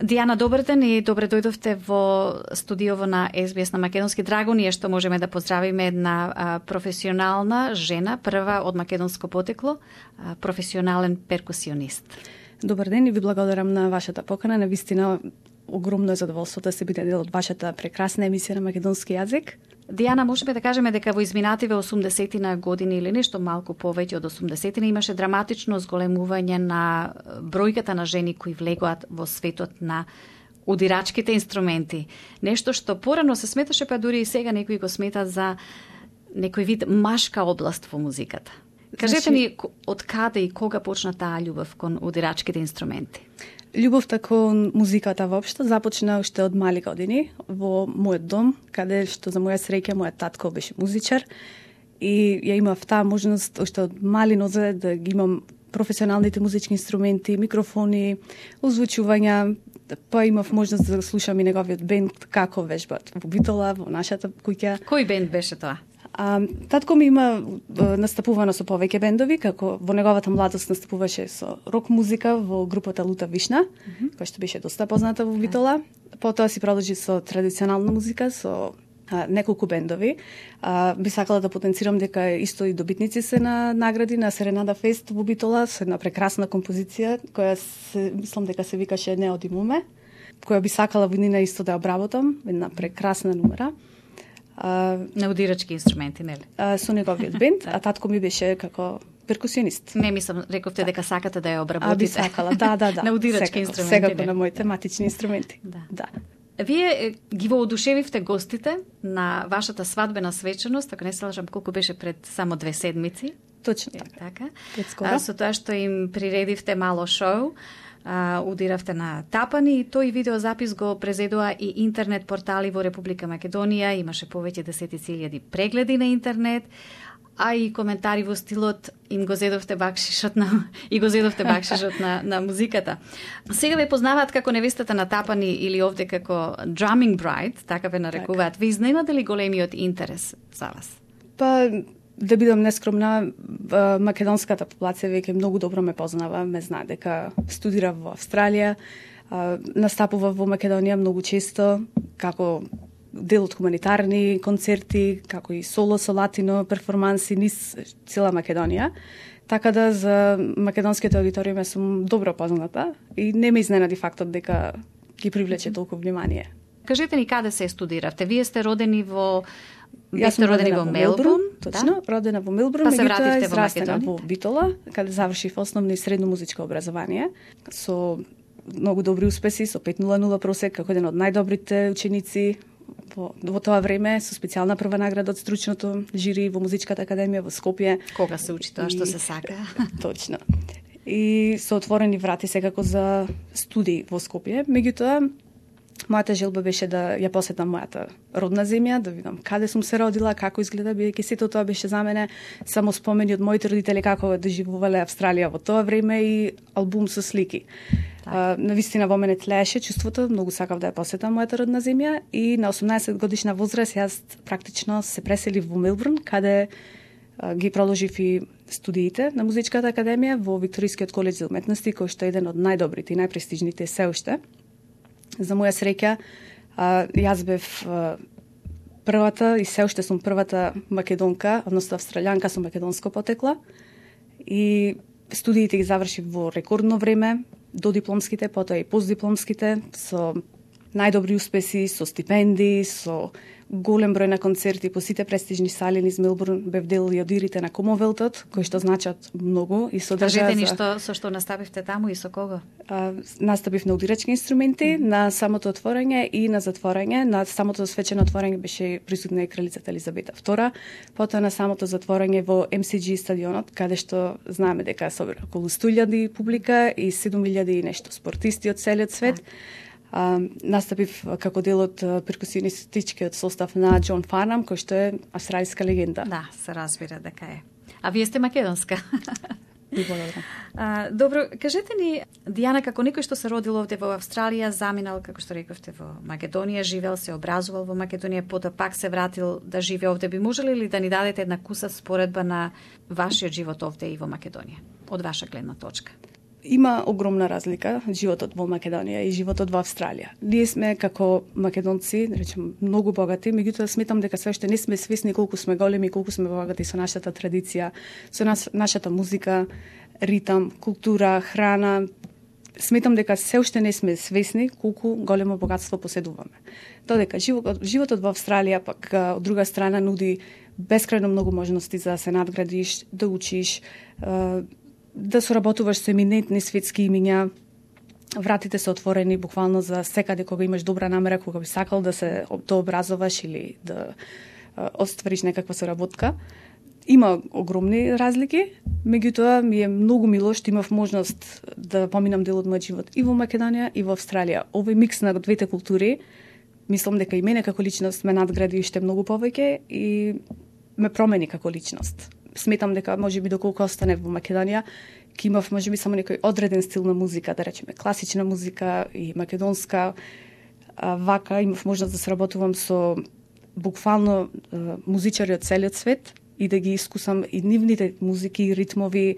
Дијана, добар ден и добре дојдовте во студиово на СБС на македонски. Драго ни е што можеме да поздравиме една професионална жена, прва од македонско потекло, професионален перкусионист. Добар ден и ви благодарам на вашата покана. Навистина огромно задоволство да се биде дел од вашата прекрасна емисија на македонски јазик. Дијана, можеме да кажеме дека во изминативе 80-тина години или нешто малку повеќе од 80-тина имаше драматично зголемување на бројката на жени кои влегоат во светот на удирачките инструменти. Нешто што порано се сметаше, па дури и сега некои го сметат за некој вид машка област во музиката. Кажете ни од каде и кога почна таа љубов кон удирачките инструменти? Љубовта кон музиката воопшто започна уште од мали години во мојот дом, каде што за моја среќа мојот татко беше музичар и ја имав таа можност уште од мали нозе да ги имам професионалните музички инструменти, микрофони, озвучувања, па имав можност да слушам и неговиот бенд како вежбат во Битола, во нашата куќа. Кој бенд беше тоа? Татко ми има настапувано со повеќе бендови, како во неговата младост настапуваше со рок музика во групата Лута Вишна, која што беше доста позната во Битола. Потоа си продолжи со традиционална музика, со неколку бендови. Би сакала да потенцирам дека исто и добитници се на награди на Серенада Фест во Битола, со една прекрасна композиција, која мислам дека се викаше Не оди муме, која би сакала во нина исто да обработам, една прекрасна номера. На удирачки инструменти, нели? Со неговиот бенд, а татко ми беше како перкусионист. Не мислам, рековте дека сакате да ја обработите. Би сакала, да. На удирачки инструменти. Секако на моите тематични инструменти. Да. Вие ги воодушевивте гостите на вашата свадбена свечаност, ако не се лажам, колку беше пред само 2 седмици. Точно така. Пред скоро. Со тоа што им приредивте мало шоу, удиравте на тапани и тој видеозапис го презедува и интернет портали во Република Македонија, имаше повеќе десетици илјади прегледи на интернет, а и коментари во стилот им го зедовте бакшишот на музиката. Сега ве познаваат како невестата на тапани или овде како drumming bride, така ве нарекуваат. Ве изненаде ли големиот интерес за вас? Па, да бидам нескромна, македонската популација веќе многу добро ме познава, ме знае дека студира во Австралија, настапува во Македонија многу често, како дел од хуманитарни концерти, како и соло со латино перформанси низ цела Македонија. Така да за македонските аудиториуми сум добро позната и не ме изненади фактот дека ги привлече толку внимание. Кажете ни каде се студиравте? Вие сте родени во Јас сум родена во Мелбурн, точно, да? Родена во Мелбурн, па се вративте во Македонија во Битола, каде завршив основно и средно музичко образование со многу добри успеси, со 5.00 просек, како еден од најдобрите ученици во тоа време, со специјална прва награда од стручното жири во Музичката академија во Скопје. Кога се учи тоа што се сака? Точно. И со отворени врати секако за студии во Скопје. Меѓутоа, мојата желба беше да ја посетам мојата родна земја, да видам каде сум се родила, како изгледа, бидејќи сето тоа беше за мене само спомени од моите родители како доживувале Австралија во тоа време и албум со слики. Навистина во мене тлееше чувството, многу сакав да ја посетам мојата родна земја и на 18 годишна возраст јас практично се преселив во Мелбурн, каде ги продолжив и студиите на Музичката академија во Викторискиот колеџ за уметности, кој што е еден од најдобрите и најпрестижните се уште. За моја среќа, јас бев првата и се уште сум првата македонка, односно австралијанка со македонско потекло. И студиите ги завршив во рекордно време, до дипломските, потоа и постдипломските, со најдобри успеси, со стипендии, со голем број на концерти по сите престижни сали низ Мелбурн, бев дел и од ирите на Комовелтот, кои што значат многу и содржаа. Кажете ни со што настапивте таму и со кого? Настапив на удирачки инструменти, на самото отворање и на затворање. На самото свечено отворање беше присутна и кралицата Елизабета II, потоа на самото затворање во MCG стадионот, каде што знаеме дека собира околу 100.000 публика и 7.000 и нешто спортисти од целиот свет. Настапив како дел од перкусионистичкиот состав на Џон Фарнам, кој што е австралиска легенда. Да, се разбира дека е. А вие сте македонска. Ви благодарам. Добро, кажете ни, Дијана, како некој што се родил овде во Австралија, заминал, како што рековте, во Македонија, живел, се образувал во Македонија, потоа пак се вратил да живее овде, би можеле ли да ни дадете една куса споредба на вашиот живот овде и во Македонија, од ваша гледна точка? Има огромна разлика животот во Македонија и животот во Австралија. Ние сме како македонци, да речем, многу богати, меѓутоа сметам дека се уште не сме свесни колку сме големи, колку сме богати со нашата традиција, со нашата музика, ритам, култура, храна. Сметам дека се уште не сме свесни колку големо богатство поседуваме. Додека животот во Австралија пак од друга страна нуди бескрајно многу можности за да се надградиш, да учиш, да соработуваш со еминентни светски имиња. Вратите се отворени буквално за секаде кога имаш добра намера, кога би сакал да се дообразоваш или да оствариш некаква соработка. Има огромни разлики, меѓутоа ми е многу мило што имав можност да поминам дел од мојот живот и во Македонија и во Австралија. Овој микс на двете култури, мислам дека и мене како личност ме надгради уште многу повеќе и ме промени како личност. Сметам дека можеби доколку останев во Македонија, ќе имав можеби само некој одреден стил на музика, да речеме класична музика и македонска. Вака имав можност да сработувам со буквално музичари од целиот свет и да ги искусам и нивните музики и ритмови.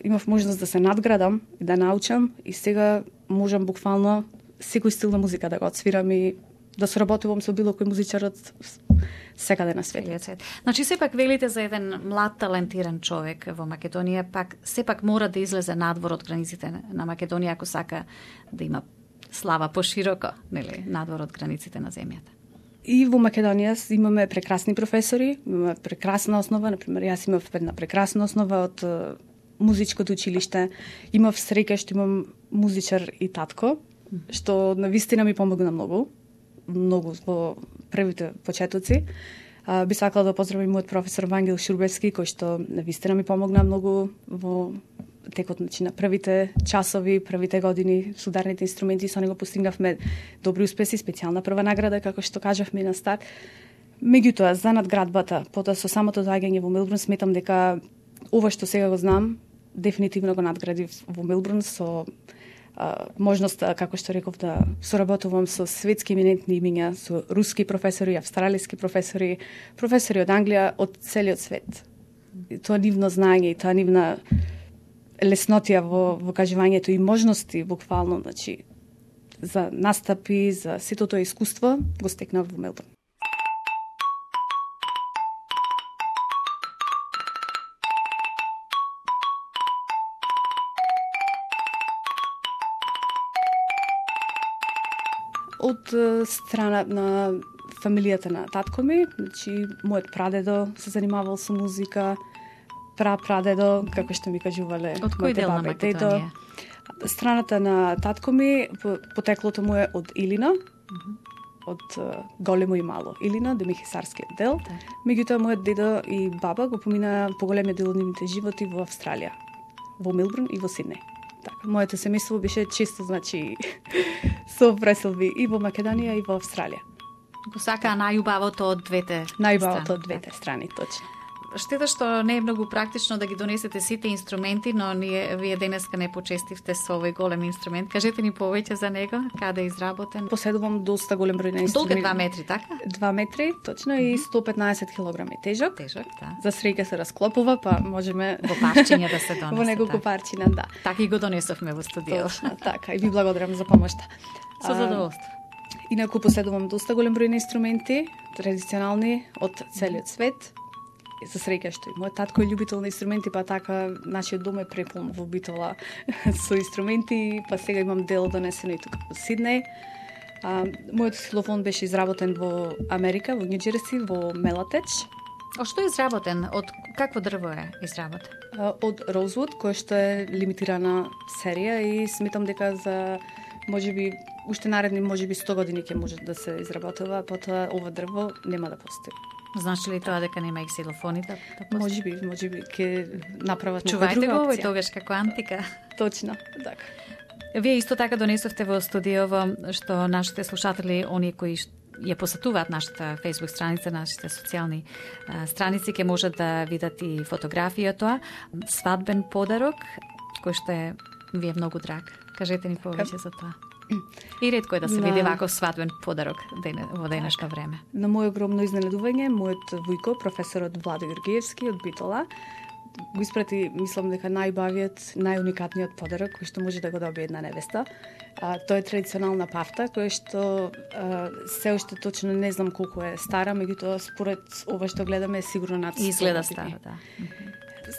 Имав можност да се надградам и да научам и сега можам буквално секој стил на музика да го отсвирам и да соработувам со било кој музичар од секаде на светот. Значи, сепак велите за еден млад, талентиран човек во Македонија, пак сепак мора да излезе надвор од границите на Македонија ако сака да има слава пошироко, нели, надвор од границите на земјата. И во Македонија имаме прекрасни професори, имаме прекрасна основа, например, јас имав една прекрасна основа од музичкото училиште, имав среќа што имам музичар и татко, што навистина ми помогна многу во првите почетоци. Би сакала да поздравам мојот професор Вангел Шурбевски, кој што навистина ми помогна многу во текот на првите часови, првите години со ударните инструменти, со него постигнавме добри успеси, специјална прва награда, како што кажавме на старт. Меѓутоа, за надградбата, потоа со самото доаѓање во Мелбурн, сметам дека ова што сега го знам, дефинитивно го надградив во Мелбурн со можност, како што реков, да соработувам со светски еминентни имиња, со руски професори, австралиски професори, професори од Англија, од целиот свет. И тоа нивно знаење и тоа нивна леснотија во кажувањето и можности, буквално, значи, за настапи, за сето тоа искуство, го стекнав во Мелбурн. Од страна на фамилијата на татко ми, значи, мојот прадедо се занимавал со музика, прапрадедо, како што ми кажувале. Од кој дел на Македонија? Страната на татко ми, потеклото му е од Илина, од Големо и Мало Илина, Демихисарскиот дел. Меѓутоа, мојот дедо и баба го помина поголемиот дел од нивните животи во Австралија, во Мелбурн и во Сиднеј. Така, моето семејство беше често, значи, со преселби и во Македонија и во Австралија. Го сакаа најубавото од двете страни. Најубавото од двете страни, точно. Штета што не е многу практично да ги донесете сите инструменти, но вие денеска не почестивте со овој голем инструмент. Кажете ни повеќе за него, каде е изработен? Поседувам доста голем број на инструменти. Долг е 2 метри, така? 2 метри, точно, и 115 килограми тежок. Тежок, да. За среќа се расклопува, па можеме во парчиња да се донесе. Во неколку парчиња, да. Така и го донесовме во студио. Точно, така. И ви благодарам за помошта. Со задоволство. Инаку поседувам доста голем број на инструменти, традиционални од целиот свет. За среќа што и мојот татко е љубител на инструменти, па така нашиот дом е препун во битола со инструменти, па сега имам дело донесено и тука во Сиднеј. Мојот ксилофон беше изработен во Америка, во Њу-Џерси, во Мелатеч. Од што е изработен? Од какво дрво е изработен? Од Rosewood, кој што е лимитирана серија и сметам дека за можеби уште наредни можеби 100 години ќе може да се изработува, потоа ова дрво нема да постои. Значи ли тоа дека нема и ксилофони да постои? Можеби ќе направат некоја Чувајте друга го опција. овој тогаш како антика. Точно, така. Вие исто така донесовте во студиово што нашите слушатели, оние кои ја посетуваат нашата Facebook страница, нашите социјални страници, ќе можат да видат и фотографијата, свадбен подарок, кој што е ви е многу драг. Кажете ни повеќе за тоа. И ретко е да се види ваков свадбен подарок во денешно време. На моје огромно изненадување, мојот вујко, професорот Владо Георгиевски од Битола, го испрати, мислам дека најбавиот, најуникатниот подарок кој што може да го добие една невеста. Тоа е традиционална пафта, која што се уште точно не знам колку е стара, меѓутоа според ова што гледаме е сигурно над 100 Изгледа стара, да.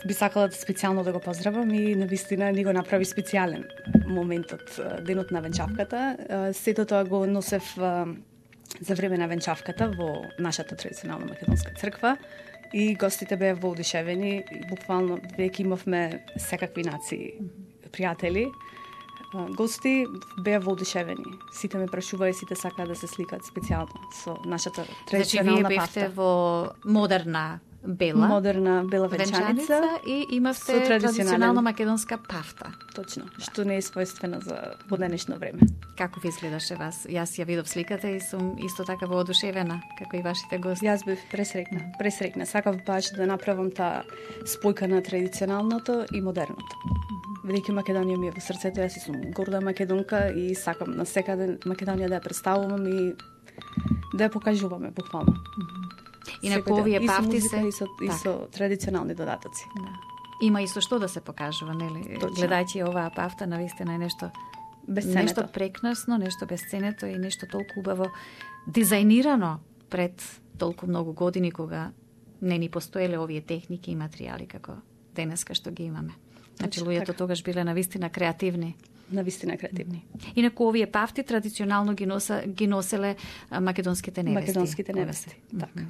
Би сакала специјално да го поздравам и навистина ни го направи специјален моментот, денот на венчавката. Сето тоа го носев за време на венчавката во нашата традиционална македонска црква и гостите беа воодушевени. Буквално веќе имавме секакви нации пријатели. Гости беа воодушевени. Сите ме прашуваа и сите сакаа да се сликаат специјално со нашата традиционална пафта. Значи, вие бевте во модерна бела венчаница и имавте традиционална македонска пафта. Точно, што не е својствено за поднешно време. Како ви изгледаше вас? Јас ја видов сликата и сум исто така воодушевена, како и вашите гости. Јас бев пресрекна. Сакав баш да направам таа спојка на традиционалното и модерното. Велики Македонија ми е во срцето, јас сум горда македонка и сакам на секаде Македонија да ја представувам и да ја покажуваме буквално. Инаку овие пафти се и со традиционални додатоци. Да. Има и со што да се покажува, нели? Гледајќи оваа пафта, навистина е нешто безценето. Нешто прекрасно, нешто безценето и нешто толку убаво дизајнирано пред толку многу години кога не ни постоеле овие техники и материјали како денеска што ги имаме. Значи луѓето тогаш биле навистина креативни. Навистина креативни. Инаку овие пафти традиционално ги носеле македонските невести. Македонските невести, така.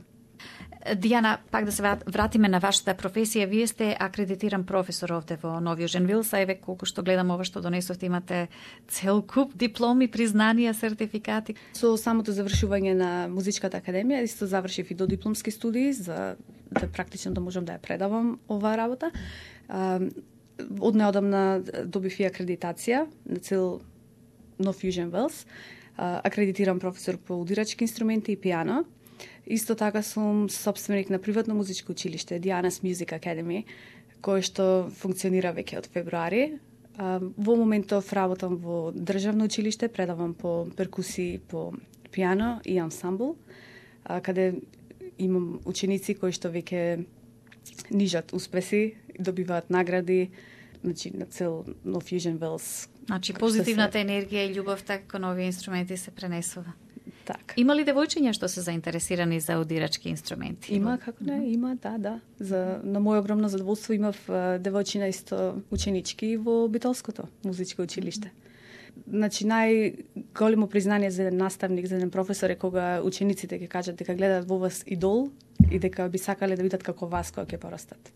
Дијана, пак да се вратиме на вашата професија. Вие сте акредитиран професор овде во Нови Јужен Вилс, а еве колку што гледам ова што донесовте, имате цел куп дипломи, признанија, сертификати. Со самото завршување на Музичката академија, исто завршив и додипломски студии за да практично да можам да ја предавам оваа работа. Од неодамна добив и акредитација на цел Нов Јужен Велс. Акредитиран професор по удирачки инструменти и пијано. Исто така сум собственик на приватно музичко училиште Diana's Music Academy, кое што функционира веќе од февруари. Во моментов работам во државно училиште, предавам по перкусии, по пијано и ансамбл, каде имам ученици кои што веќе нижат успеси, добиваат награди, значи на цел Нов Јужен Велс. Значи позитивната енергија и љубовта кон овие инструменти се пренесува. Така. Има ли девојчиња што се заинтересирани за удирачки инструменти? Има, како не, има, да. На моје огромно задоволство имав девојчина исто ученички во Битолското музичко училиште. Значи најголемо признание за еден наставник, за еден професор е кога учениците ќе кажат дека гледаат во вас идол и дека би сакале да бидат како вас кога ќе порастат.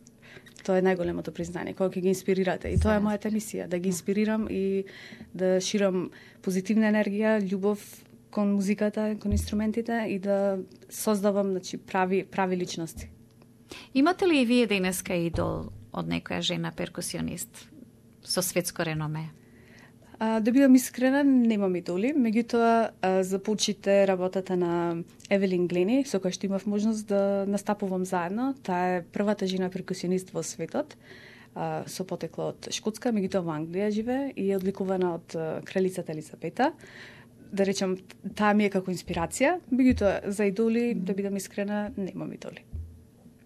Тоа е најголемото признание, кога ќе ги инспирирате. И тоа е мојата мисија, да ги инспирирам и да ширам позитивна енергија, љубов кон музиката, кон инструментите и да создавам, значи, прави личности. Имате ли и вие денеска идол од некоја жена перкусионист со светско реноме? Да бидам искрена, немам идоли, меѓутоа започите работата на Евелин Глени, со која што имав можност да настапувам заедно. Таа е првата жена перкусионист во светот, со потекло од Шкотска, меѓутоа во Англија живее и е одликувана од кралицата Елизабета. Да речам, таа ми е како инспирација, меѓутоа за идоли, да бидам искрена, немам идоли.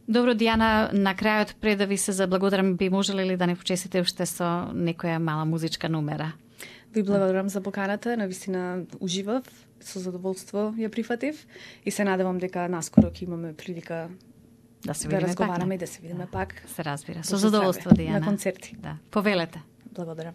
Добро, Дијана, на крајот пред да ви се заблагодарам, би можеле ли да не почесите уште со некоја мала музичка numera? Ви благодарам за поканата, навистина уживав, со задоволство ја прифатив и се надевам дека наскоро ќе имаме прилика да се видиме разговараме и да се видиме пак. Се разбира. Со задоволство, Дијана. На концерти. Да. Повелете. Благодарам.